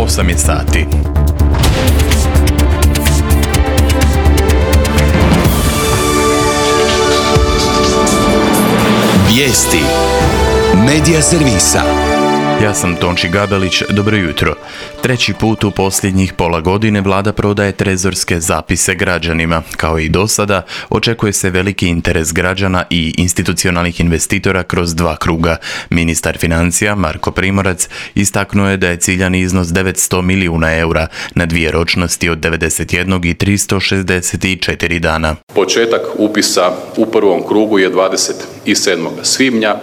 8 je sati. Vijesti Medija servisa. Ja sam Tonči Gabelić, dobro jutro. Treći put u posljednjih pola godine vlada prodaje trezorske zapise građanima. Kao i do sada, očekuje se veliki interes građana i institucionalnih investitora kroz dva kruga. Ministar financija Marko Primorac istaknuo je da je ciljani iznos 900 milijuna eura na dvije ročnosti od 91 i 364 dana. Početak upisa u prvom krugu je 27. svibnja.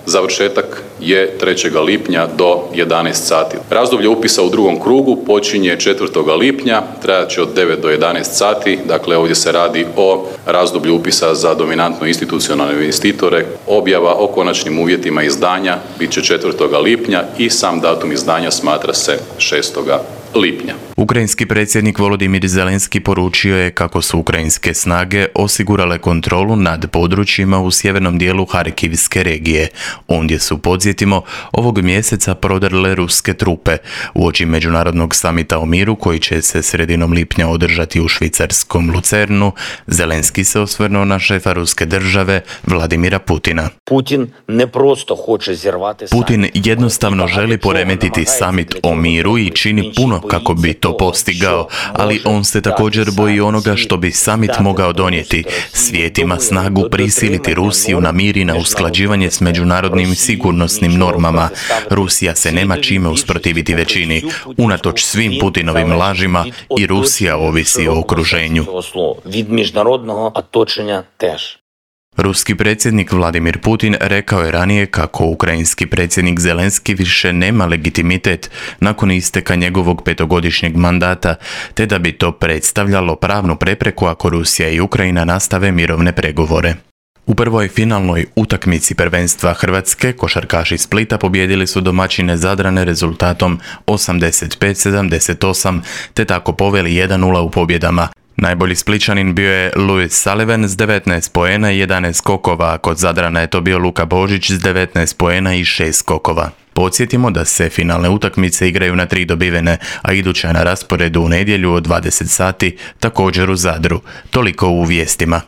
Završetak je 3. lipnja do 11 sati. Razdoblje upisa u drugom krugu počinje 4. lipnja, trajat će od 9 do 11 sati. Dakle, ovdje se radi o razdoblju upisa za dominantno institucionalne investitore. Objava o konačnim uvjetima izdanja bit će 4. lipnja i sam datum izdanja smatra se 6. lipnja. Ukrajinski predsjednik Volodimir Zelenski poručio je kako su ukrajinske snage osigurale kontrolu nad područjima u sjevernom dijelu Harkivske regije. Ondje su, podsjetimo, ovog mjeseca prodrle ruske trupe. Uoči međunarodnog samita o miru koji će se sredinom lipnja održati u švicarskom Lucernu, Zelenski se osvrnuo na šefa ruske države Vladimira Putina. Putin jednostavno želi poremetiti samit o miru i čini puno kako bi to postigao, ali on se također boji onoga što bi samit mogao donijeti. Svijet ima snagu prisiliti Rusiju na mir i na usklađivanje s međunarodnim sigurnosnim normama. Rusija se nema čime usprotiviti većini. Unatoč svim Putinovim lažima i Rusija ovisi o okruženju. Ruski predsjednik Vladimir Putin rekao je ranije kako ukrajinski predsjednik Zelenski više nema legitimitet nakon isteka njegovog 5-godišnjeg mandata, te da bi to predstavljalo pravnu prepreku ako Rusija i Ukrajina nastave mirovne pregovore. U prvoj finalnoj utakmici prvenstva Hrvatske košarkaši Splita pobijedili su domaćine Zadrane rezultatom 85-78, te tako poveli 1-0 u pobjedama. Najbolji Splićanin bio je Louis Sullivan s 19 poena i 11 skokova, a kod Zadrana je to bio Luka Božić s 19 poena i 6 skokova. Podsjetimo da se finalne utakmice igraju na 3 dobivene, a iduća na rasporedu u nedjelju od 20 sati također u Zadru. Toliko u vijestima.